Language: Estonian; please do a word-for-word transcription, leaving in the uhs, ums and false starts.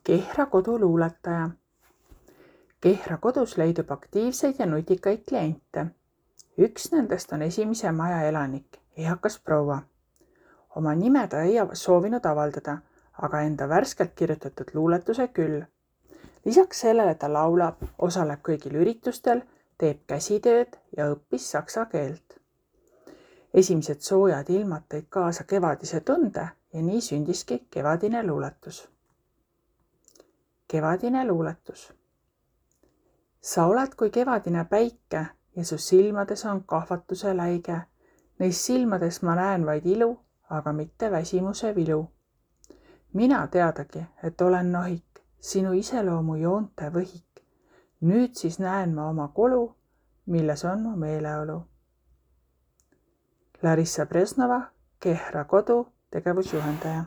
Kehra kodu luuletaja. Kehra kodus leidub aktiivseid ja nutikaid kliente. Üks nendest on esimese maja elanik, eakas proua. Oma nime ta ei soovinud avaldada, aga enda värskelt kirjutatud luuletuse küll. Lisaks sellele ta laulab, osaleb kõigil üritustel, teeb käsitööd ja õppis saksa keelt. Esimesed soojad ilmad tõid kaasa kevadise tunde ja nii sündiski kevadine luuletus. Kevadine luuletus. Sa oled kui kevadine päike ja su silmades on kahvatuse läige. Neis silmades ma näen vaid ilu, aga mitte väsimuse vilu. Mina teadagi, et olen nohik, sinu iseloomu joonte võhik. Nüüd siis näen ma oma kolu, milles on mu meeleolu. Larissa Presnova, Kehra kodu tegevusjuhendaja.